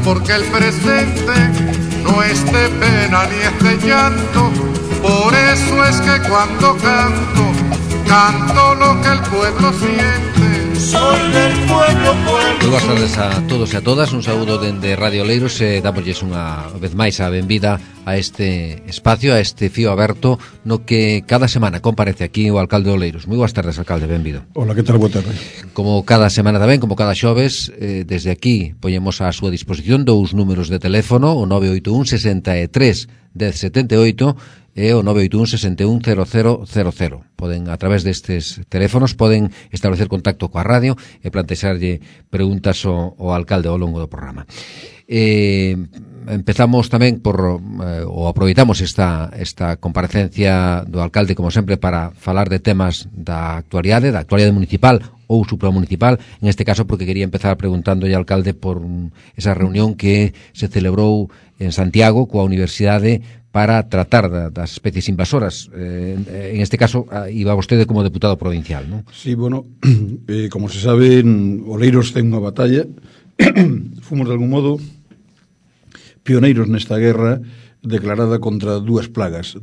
porque el presente no es de pena ni es de llanto. Por eso es que cuando canto, canto lo que el pueblo siente. Soy del pueblo, pueblo. Moi boas tardes a todos e a todas. Un saúdo dende Radio Oleiros e damosles unha vez máis a benvida a este espacio, a este fío aberto no que cada semana comparece aquí o alcalde de Oleiros. Moi boas tardes, alcalde, benvido. Hola, que tal? Boa tarde. Como cada semana tamén, como cada xoves, desde aquí poñemos á súa disposición dous números de teléfono, o 981 63 1078 e o 981 61 0000. Poden, a través destes teléfonos, poden establecer contacto coa radio e plantexarlle preguntas ao alcalde ao longo do programa. Empezamos tamén ou aproveitamos esta comparecencia do alcalde, como sempre, para falar de temas da actualidade municipal ou supramunicipal, en este caso porque quería empezar preguntándolle ao alcalde por esa reunión que se celebrou en Santiago coa Universidade para tratar das especies invasoras. En este caso, iba vostede como deputado provincial, non? Sí, bueno, como se sabe, en Oleiros ten unha batalla. Fomos, de algún modo, pioneiros nesta guerra declarada contra dúas plagas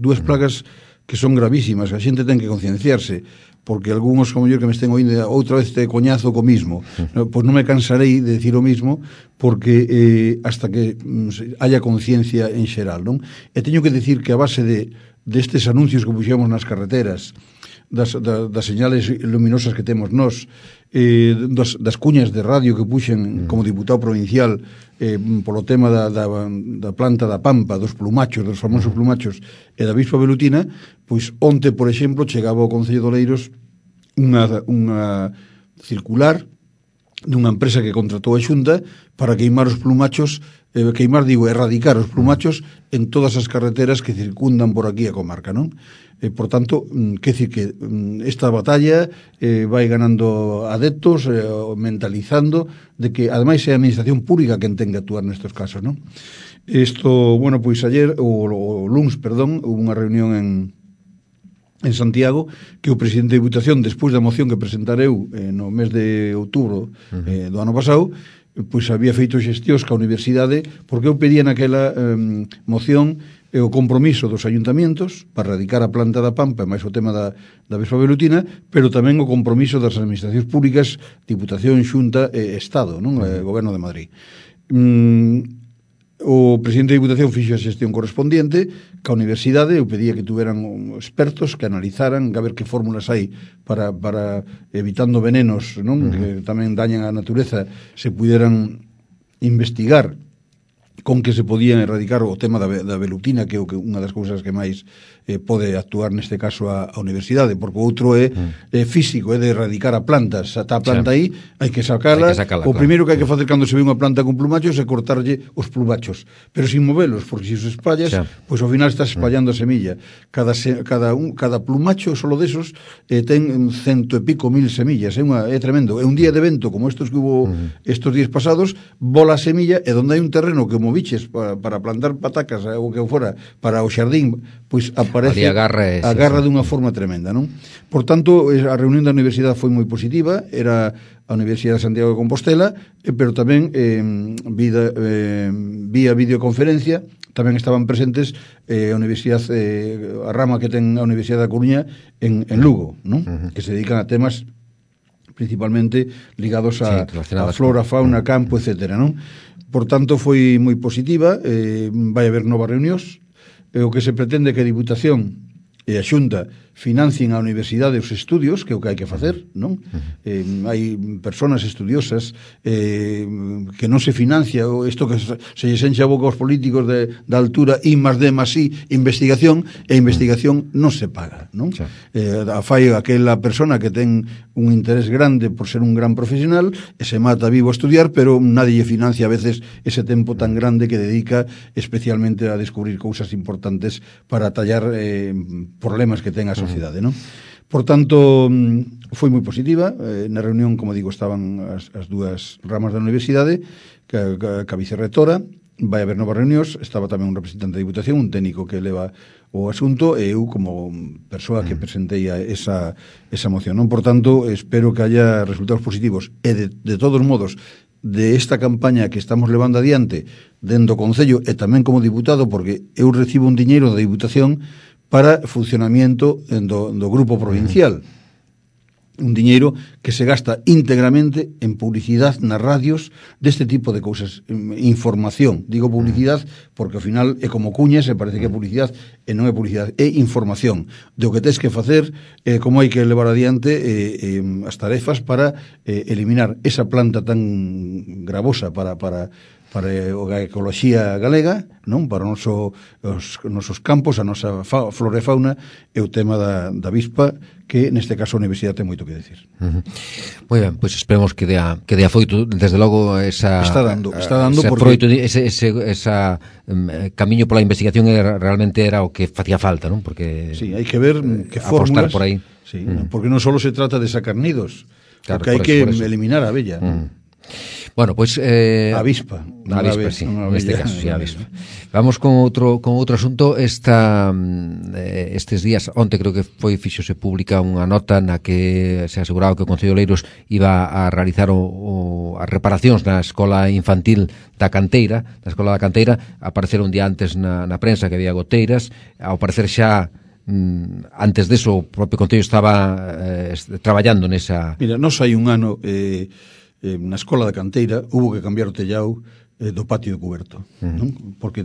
que son gravísimas. A xente ten que concienciarse, porque algúns, como yo, que me estén oindo outra vez te coñazo co mismo, pois non me cansarei de decir o mismo, porque hasta que haya conciencia en xeral, non? E teño que decir que a base destes anuncios que puxemos nas carreteras, das señales luminosas que temos nós, das cuñas de radio que puxen como diputado provincial polo tema da planta da Pampa, dos plumachos, dos famosos plumachos e da avispa velutina, pois onte, por exemplo, chegaba ao Concello de Oleiros unha circular dunha empresa que contratou a Xunta para queimar os plumachos, erradicar os plumachos en todas as carreteras que circundan por aquí a comarca, non? Por tanto, quer dicir que esta batalla vai ganando adeptos, mentalizando de que, ademais, é a administración pública quen ten que actuar nestes casos, non? Isto, bueno, pois ayer, o luns, perdón, hubo unha reunión en Santiago, que o presidente de Diputación, despois da moción que presentareu no mes de outubro do ano pasado, pois había feito xestións ca universidade, porque eu pedía naquela moción o compromiso dos ayuntamientos para erradicar a planta da Pampa, máis o tema da avispa velutina, pero tamén o compromiso das administracións públicas, Diputación, Xunta e Estado, non? O Goberno de Madrid. O presidente de Diputación fixo a xestión correspondiente ca universidade. Eu pedía que tuveran expertos que analizaran, a ver que fórmulas hai para evitando venenos, non? Que tamén dañan a natureza, se puderan investigar con que se podían erradicar o tema da velutina, que é unha das cousas que máis pode actuar neste caso a universidade, porque o outro é físico, é de erradicar a planta. Se está a planta aí, hai que sacala. O primeiro que hai que facer cando se ve unha planta con plumachos é cortarlle os plumachos, pero sin movelos, porque se os espallas, pois ao final estás espallando a semilla. Cada plumacho solo desos ten 100 e pico mil semillas, é tremendo. É un día de vento como estos que hubo estos días pasados, bola a semilla, e donde hai un terreno que moviches para plantar patacas ou que fora para o xardín, pois aparece agarra dunha forma tremenda, non? Por tanto, a reunión da universidade foi moi positiva. Era a Universidade de Santiago de Compostela, pero tamén vía videoconferencia tamén estaban presentes a universidade, a rama que ten a Universidade da Coruña en Lugo, non? Que se dedican a temas principalmente ligados a flora, fauna, campo, etcétera, non? Por tanto, foi moi positiva. Vai haber novas reunións. O que se pretende que a Diputación e a Xunta financien a universidade os estudios, que é o que hai que facer, non? Hai persoas estudiosas que non se financia isto que se lle enche a boca aos políticos da altura I más D más I, investigación, e investigación non se paga, non? Fai aquela persona que ten un interés grande por ser un gran profesional e se mata vivo a estudiar, pero nadie lle financia a veces ese tempo tan grande que dedica especialmente a descubrir cousas importantes para tallar problemas que ten a sociedade, non? Por tanto, foi moi positiva. Na reunión, como digo, estaban as dúas ramas da universidade, que a vicerrectora. Vai haber novas reunións. Estaba tamén un representante da Diputación, un técnico que leva o asunto, e eu como persoa que presentei esa moción, non? Por tanto, espero que haya resultados positivos. E de todos modos, de esta campaña que estamos levando adiante dentro do Concello e tamén como diputado, porque eu recibo un diñeiro da Diputación para funcionamiento do grupo provincial. Un diñeiro que se gasta íntegramente en publicidade nas radios deste tipo de cousas, información. Digo publicidade porque ao final é como cuñas e parece que é publicidade e non é publicidade, é información de o que tens que facer, como hai que levar adiante as tarefas para eliminar esa planta tan gravosa para a ecoloxía galega, non? Para os nosos campos, a nosa flora e fauna, é o tema da avispa, que neste caso a Universidade ten moito que decir. Moi ben, pois esperemos que dea foito, desde logo esa está dando porque esa camiño pola investigación realmente era o que facía falta, non? Porque sí, hai que ver que fórmulas por aí. Sí, porque non só se trata de sacar nidos, claro, porque hai que eliminar a abella. Bueno, pois avispa, sí, neste caso, sí, avispa. Vamos con outro asunto. Estes días, onte creo que fixose pública unha nota na que se aseguraba que o Concello de Oleiros iba a realizar as reparacións na escola infantil da Canteira. Na escola da Canteira apareceron un día antes na prensa que había goteiras, ao parecer xa antes deso o propio Concello estaba traballando nesa... Mira, nos hai un ano na escola da Canteira hubo que cambiar o tellao do patio de cuberto, non? Porque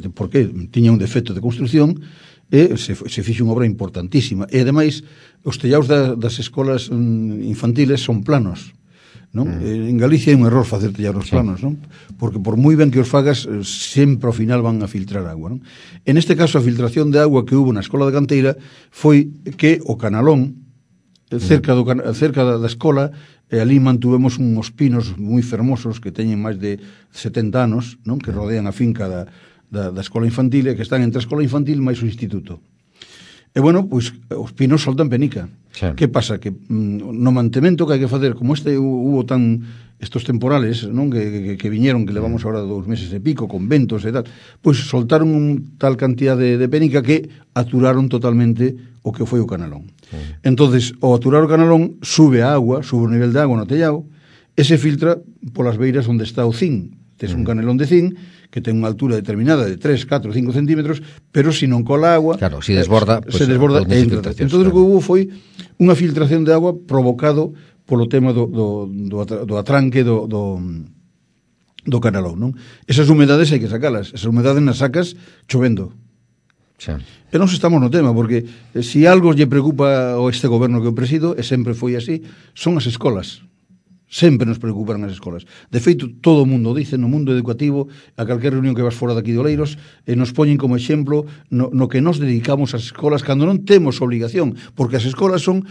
tiña un defecto de construción e se fixe unha obra importantísima, e ademais os tellaos das escolas infantiles son planos, non? En Galicia é un error facer tellaos planos, non? Porque por moi ben que os fagas sempre ao final van a filtrar agua, non? En este caso a filtración de agua que hubo na escola da Canteira foi que o canalón cerca da escola, e ali mantuvemos uns pinos moi fermosos que teñen máis de 70 anos, non? Que rodean a finca da escola infantil e que están entre a escola infantil máis o instituto. E bueno, pois os pinos soltan penica. Sí. Que pasa? Que no mantemento que hai que facer, como hubo estos temporales, non? Que viñeron, que levamos agora 2 meses e pico, con ventos e tal, pois soltaron un tal cantidad de penica que aturaron totalmente o que foi o canalón. Entonces, ao aturar o canalón, sube a agua, sube o nivel de agua no tellao, e se filtra polas beiras onde está o zinc. Tes un canelón de zinc que ten unha altura determinada de 3, 4, 5 centímetros, pero se non cola agua, claro, se desborda, pues, se desborda e entra. Entón, o que hubo foi unha filtración de agua provocado polo tema do atranque do canalón, non? Esas humedades hai que sacalas. Esas humedades nas sacas chovendo. Sí. E non estamos no tema, porque se algo lle preocupa a este goberno que eu presido, e sempre foi así, son as escolas. Sempre nos preocupan as escolas. De feito, todo o mundo dice, no mundo educativo, a calquer reunión que vas fora daqui de Oleiros, nos poñen como exemplo no que nos dedicamos ás escolas cando non temos obligación, porque as escolas son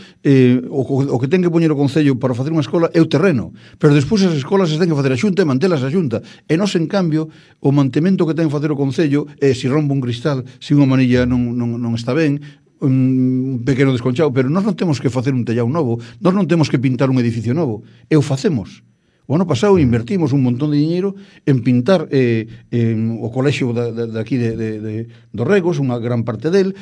o que ten que poñer o Concello para facer unha escola é o terreno, pero despois as escolas se ten que facer a Xunta e mantelas a Xunta, e nos, en cambio, o mantemento que ten que facer o Concello é se rompe un cristal, se unha manilla non está ben, un pequeno desconchado, pero nós non temos que facer un tellao novo, nós non temos que pintar un edificio novo, e o facemos. O ano pasado invertimos un montón de diñeiro en pintar o colexio daqui dos Regos, unha gran parte del,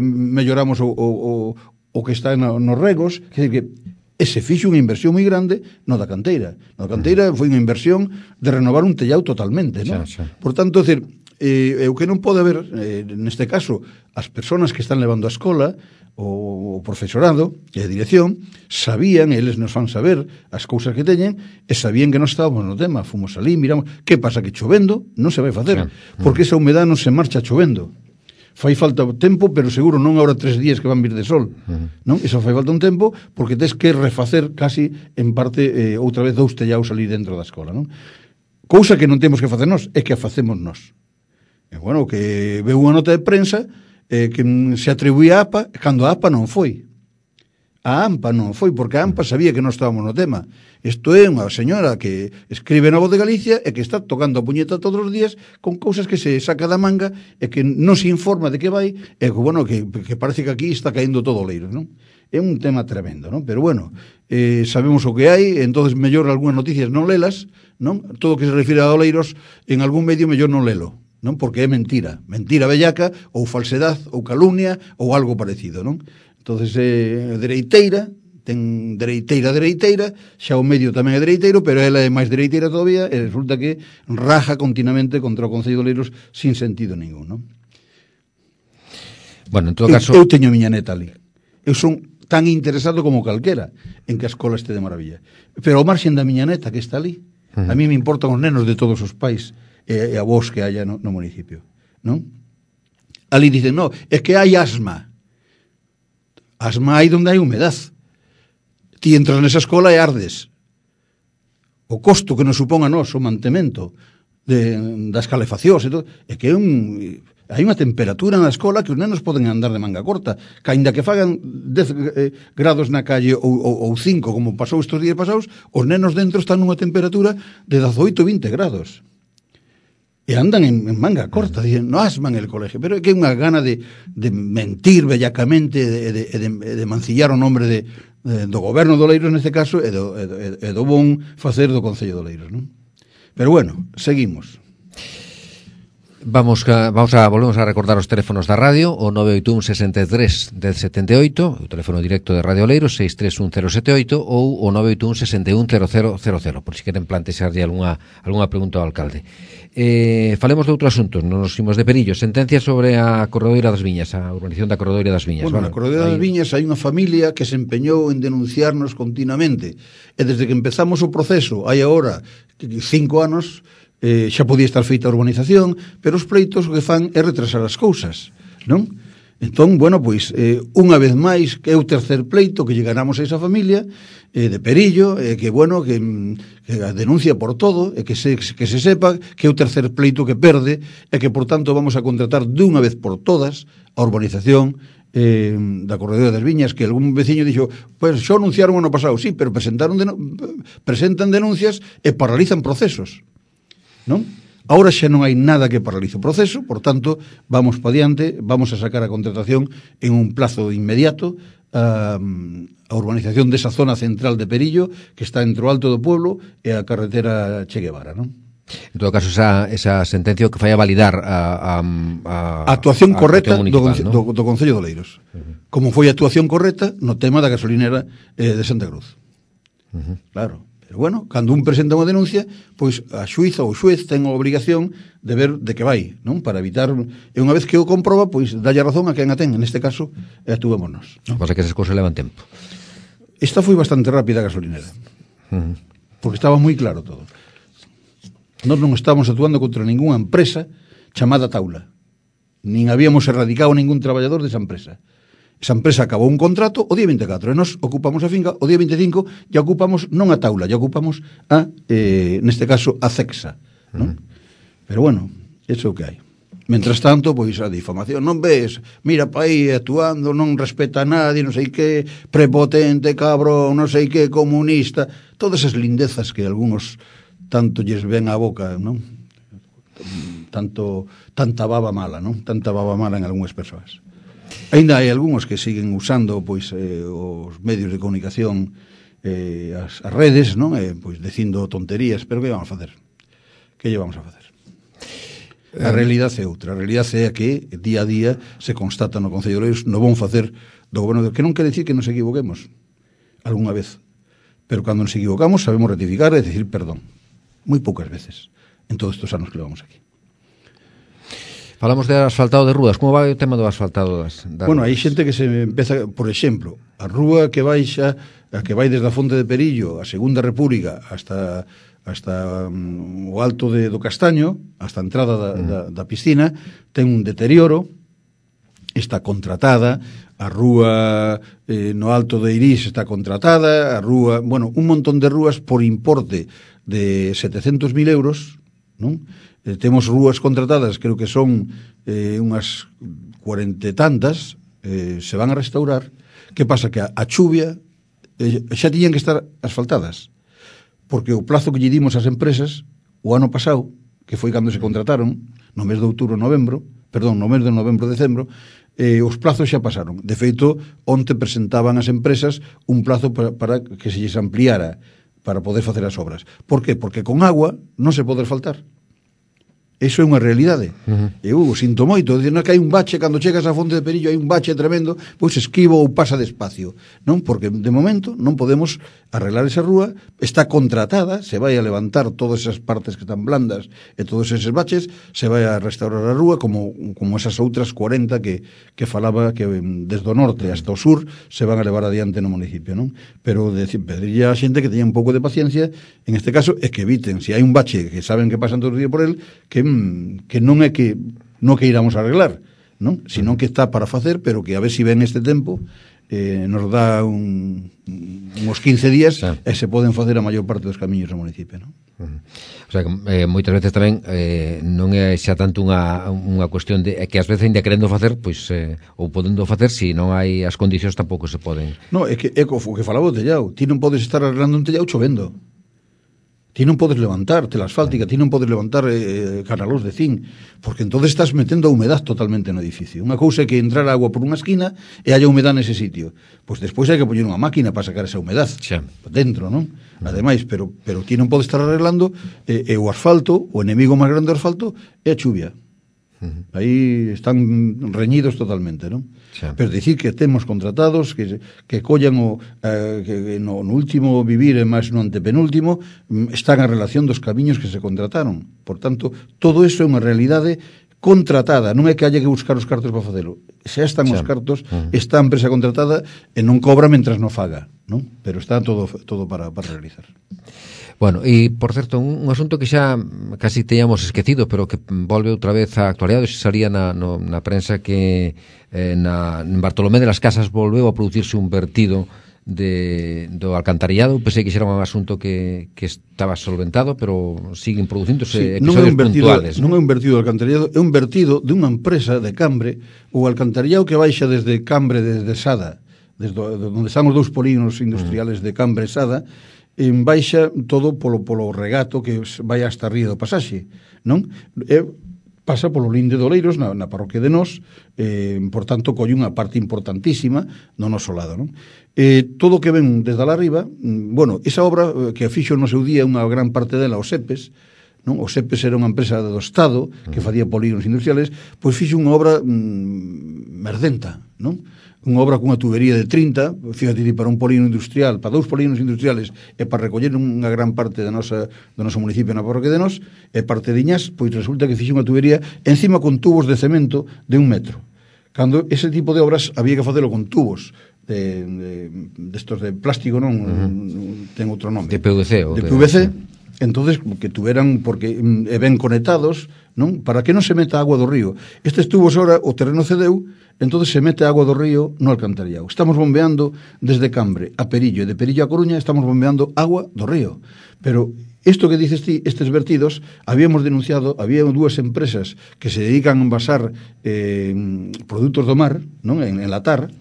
melloramos o que está nos Regos, que se fixo unha inversión moi grande no da Canteira. No da Canteira foi unha inversión de renovar un tellao totalmente, non? Por tanto, é dicir, o que non pode haber, neste caso, as persoas que están levando a escola, o profesorado e a dirección, sabían, eles nos fan saber as cousas que teñen, e sabían que non estábamos no tema. Fomos ali, miramos, que pasa? Que chovendo non se vai facer, porque esa humedade non se marcha chovendo. Fai falta tempo, pero seguro non agora 3 días que van vir de sol, non? Iso fai falta un tempo, porque tens que refacer casi, en parte, outra vez 2 tellaos ali dentro da escola, non? Cousa que non temos que facer nós, é que a facemos nós. E, bueno, que veu unha nota de prensa que se atribuía a APA, cando a APA non foi. A AMPA non foi, porque a AMPA sabía que non estábamos no tema. Isto é unha señora que escribe na Voz de Galicia e que está tocando a puñeta todos os días con cousas que se saca da manga e que non se informa de que vai, e que, bueno, que parece que aquí está caendo todo o leiro, non? É un tema tremendo, non? Pero, bueno, sabemos o que hai, entonces mellor algunhas noticias non lelas, non? Todo o que se refire a Oleiros, en algún medio mellor non lelo, non? Porque é mentira bellaca, ou falsedade, ou calumnia, ou algo parecido, non? Entonces, dereiteira, ten dereiteira, xa o medio tamén é dereiteiro, pero ela é máis dereiteira todavía, e resulta que raja continuamente contra o Concello de Oleiros sin sentido ningún, non? Bueno, en todo caso... Eu teño a miña neta ali. Eu son tan interesado como calquera en que a escola este de maravilla. Pero ao marxen da miña neta que está ali, a mí me importan os nenos de todos os pais e a vos que haya no municipio, non? Ali dicen, no, é que hai asma. Asma hai donde hai humedad. Ti entras nesa escola e ardes. O costo que nos supón a nós o mantemento das calefaccións e todo, é que hai unha temperatura na escola que os nenos poden andar de manga corta, que aínda que fagan 10 grados na calle ou 5, como pasou estes días pasados, os nenos dentro están nunha temperatura de 18-20 grados. E andan en manga corta, dicen, no asman el colegio, pero é que é unha gana de mentir bellacamente e de mancillar o nombre do goberno de Oleiros neste caso e do bon facer do Concello de Oleiros, non? Pero bueno, seguimos. Volvemos a recordar os teléfonos da radio, o 981 63 1078, o teléfono directo de Radio Oleiros, 631 078, ou o 981 61 0000, por si queren plantexarlle algunha pregunta ao alcalde. Falemos de outro asunto, nos imos de Perillo, sentencia sobre a Corredoira das Viñas, a urbanización da Corredoira das Viñas. Bueno, na Corredoira das Viñas hai unha familia que se empeñou en denunciarnos continuamente, e desde que empezamos o proceso, hai agora 5 anos, xa podía estar feita a urbanización, pero os pleitos o que fan é retrasar as cousas, non? Entón, bueno, pois, unha vez máis, que é o tercer pleito que llegaramos a esa familia de Perillo, que, bueno, que a denuncia por todo, e que se sepa que é o tercer pleito que perde, e que, por tanto, vamos a contratar dunha vez por todas a urbanización da Corredoira das Viñas, que algún veciño dixo, pues xo anunciaron o ano pasado, sí, pero presentan denuncias e paralizan procesos, non? Ahora xa non hai nada que paralice o proceso, por tanto, vamos pa diante, vamos a sacar a contratación en un plazo inmediato a urbanización desa zona central de Perillo, que está entre o Alto do Pueblo e a carretera Che Guevara, non? En todo caso, esa sentencia que fai a validar a actuación correcta do Concello de Oleiros. Como foi a actuación correcta no tema da gasolinera de Santa Cruz. Claro. Pero bueno, cando un presenta unha denuncia, pois a xuíza ou o xuez ten a obrigación de ver de que vai, non? Para evitar, e unha vez que o comproba, pois dalle razón a quen a ten, en este caso, actuémonos. Non pasa que esas cousas levan tempo. Esta foi bastante rápida a gasolinera, porque estaba moi claro todo. Nós non estábamos actuando contra ningunha empresa chamada Taula, nin habíamos erradicado ningún traballador desa empresa. Esa empresa acabou un contrato o día 24 e nos ocupamos a finca o día 25 e ocupamos non a Taula, e ocupamos neste caso a Cexa, non? Pero bueno, iso é o que hai. Mentras tanto, pois a difamación, non ves, mira pa aí actuando, non respeta a nadie, non sei que, prepotente, cabrón, non sei que, comunista, todas esas lindezas que algúns tanto lles ven á boca, non? Tanta baba mala, non? Tanta baba mala en algúns persoas. Ainda hai algúns que siguen usando pois os medios de comunicación, as redes, non? Pois dicindo tonterías, pero que vamos a facer? Que lle vamos a facer? A realidade é outra. A realidade é que día a día se constata no Concello de Oleiros no bon facer do goberno, que non quere dicir que nos equivoquemos algunha vez, pero cando nos equivocamos sabemos rectificar e decir perdón. Moi poucas veces en todos estes anos que levamos aquí. Falamos de asfaltado de rúas. Como vai o tema do asfaltado das bueno, hai xente que se empeza, por exemplo, a rúa que baixa, a que vai desde a Fonte de Perillo a Segunda República hasta o alto do Castaño, hasta a entrada da piscina, ten un deterioro, está contratada, a rúa no alto de Irís está contratada, a rúa, bueno, un montón de rúas por importe de 700.000 euros, non? Temos rúas contratadas, creo que son unhas 40 e tantas, se van a restaurar. Que pasa? Que a chuvia xa tiñan que estar asfaltadas, porque o plazo que lle dimos ás empresas o ano pasado, que foi cando se contrataron, no mes de outubro, no mes de novembro, decembro, os plazos xa pasaron. De feito, onte presentaban as empresas un plazo para que se lles ampliara para poder facer as obras. Por qué? Porque con agua non se pode asfaltar. Iso é unha realidade. Eu sinto moito, dicir, non, que hai un bache, cando chegas á Fonte de Perillo hai un bache tremendo, pois esquivo ou pasa despacio, non? Porque de momento non podemos arreglar esa rúa, está contratada, se vai a levantar todas esas partes que están blandas e todos eses baches, se vai a restaurar a rúa como esas outras 40 que falaba que desde o norte hasta o sur se van a levar adiante no municipio, non? Pero pedirlle a xente que teña un pouco de paciencia en este caso é que eviten, se hai un bache que saben que pasan todos os días por el, que non é que non que iramos a arreglar, non? Sino que está para facer, pero que a ver si ven este tempo nos dá uns 15 días e se poden facer a maior parte dos camiños do municipio, non? O sea, que moitas veces tamén non é xa tanto unha cuestión de que ás veces ainda querendo facer, pois ou podendo facer, se non hai as condicións tampouco se poden. No, é que o que falaba o tellado, ti non podes estar arreglando un tellado chovendo. Ti non podes levantar tela asfáltica, ti non podes levantar canalós de zinc, porque entonces estás metendo a humedad totalmente no edificio. Unha cousa é que entrar agua por unha esquina e haya humedad nese sitio. Pois despois hai que poñer unha máquina para sacar esa humedad dentro, non? Ademais, pero ti non podes estar arreglando o asfalto, o enemigo máis grande do asfalto é a chuvia. Aí están reñidos totalmente, non? Pero dicir que temos contratados que collan que no último vivir e máis no antepenúltimo están a relación dos camiños que se contrataron. Por tanto, todo iso é unha realidade contratada, non é que haya que buscar os cartos para facelo. Se están os cartos, está a empresa contratada e non cobra mentras non faga, non? Pero está todo para realizar. Bueno, e, por certo, un asunto que xa casi teñamos esquecido, pero que volve outra vez á actualidade, se salía na prensa que en Bartolomé de las Casas volveu a producirse un vertido do alcantarillado. Pensei que xa era un asunto que estaba solventado, pero siguen producíndose episodios puntuales. Non é un vertido do alcantarillado, é un vertido de unha empresa de Cambre, o alcantarillado que baixa desde Cambre, desde Sada, desde onde están os dous polígonos industriales de Cambre e Sada, en baixa todo polo regato que vai hasta Río do Pasaxe, non? Pasa polo Linde de Oleiros na parroquia de Nós, por tanto colle unha parte importantísima do noso lado, non? Todo o que ven desde lá arriba, bueno, esa obra que fixo no seu día unha gran parte dela os SEPES, non? O SEPES era unha empresa do Estado que facía polígonos industriales, pois fixo unha obra merdenta, non? Unha obra cunha tubería de 30, fíjate, para un polígono industrial, para 2 polígonos industriales e para recoller unha gran parte do noso municipio na parroquia de Nós e parte de Iñás, pois resulta que fixo unha tubería encima con tubos de cemento de 1 metro. Cando ese tipo de obras había que facelo con tubos destos de plástico, non? Ten outro nome. De PVC. De PVC. Entonces, que tuveran, porque ben conectados, non? Para que non se meta agua do río. Estes tubos ahora, o terreno cedeu, entonces se mete agua do río no alcantarillado. Estamos bombeando desde Cambre a Perillo, e de Perillo a Coruña estamos bombeando agua do río. Pero isto que dices ti, estes vertidos, habíamos denunciado, había 2 empresas que se dedican a envasar produtos do mar, non? En latar,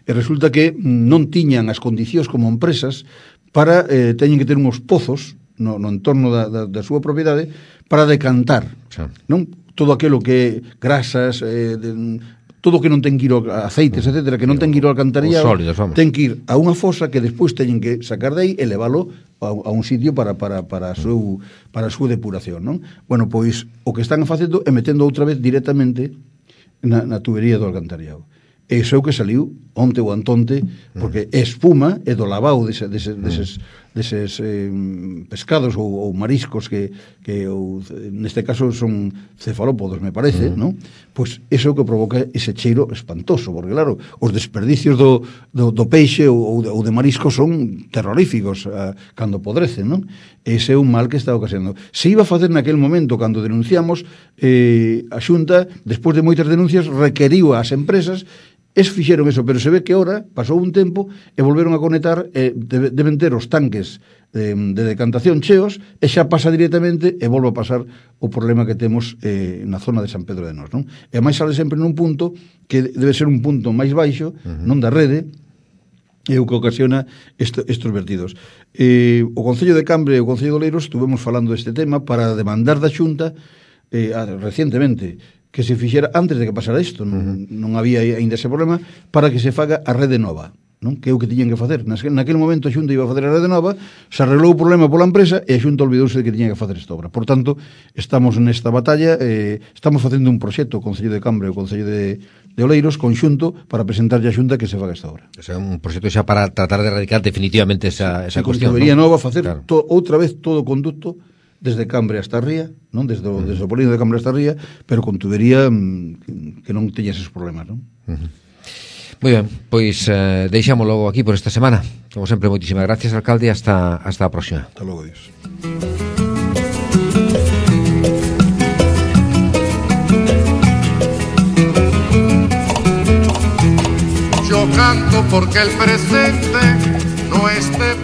e resulta que non tiñan as condicións como empresas para, teñen que ter uns pozos no entorno da súa propiedade para decantar, non? Todo aquilo que grasas, todo o que non ten que ir aceites, etcétera, que non ten que ir ao alcantarillado, ten que ir a unha fosa que despois teñen que sacar de aí e leválo a un sitio para a súa depuración, non? Bueno, pois o que están facendo é metendo outra vez directamente na tubería do alcantarillado. E iso é o que saliu onte ou antonte, porque é espuma e do lavao deses pescados ou mariscos que neste caso son cefalópodos, me parece, non? Pois iso é o que provoca ese cheiro espantoso, porque claro, os desperdicios do peixe ou de mariscos son terroríficos cando podrecen, non? Ese é un mal que está ocasionando. Se iba a facer naquel momento, cando denunciamos, a Xunta, despois de moitas denuncias, requeriu ás empresas. Fixeron eso, pero se ve que ahora pasou un tempo e volveron a conectar, deben ter os tanques de decantación cheos e xa pasa directamente e volve a pasar o problema que temos na zona de San Pedro de Nós, non? E máis sale sempre nun punto que debe ser un punto máis baixo, non da rede, e o que ocasiona estes vertidos. O Concello de Cambre e o Concello de Oleiros estuvemos falando deste tema para demandar da Xunta recientemente que se fixera antes de que pasara isto, non había ainda ese problema, para que se faga a rede nova. non? Que é o que tiñan que facer. Naquele momento a Xunta iba a facer a Rede Nova, se arreglou o problema pola empresa e a Xunta olvidouse de que tiña que facer esta obra. Por tanto, estamos nesta batalla, estamos facendo un proxecto o Concello de Cambre e o Concello de Oleiros conxunto para presentarlle a Xunta que se faga esta obra. O sea, un proxecto xa para tratar de erradicar definitivamente esa cuestión. Debería Nova facer claro. Outra vez todo o conducto desde Cambre hasta Ría, non? Desde o Polígono de Cambre hasta Ría, pero con tubería que non teña esos problemas, non? Moi ben, pois deixamos logo aquí por esta semana. Como sempre, moitísimas gracias, alcalde, e hasta a próxima. Hasta logo, Dios. Yo canto porque el presente no esté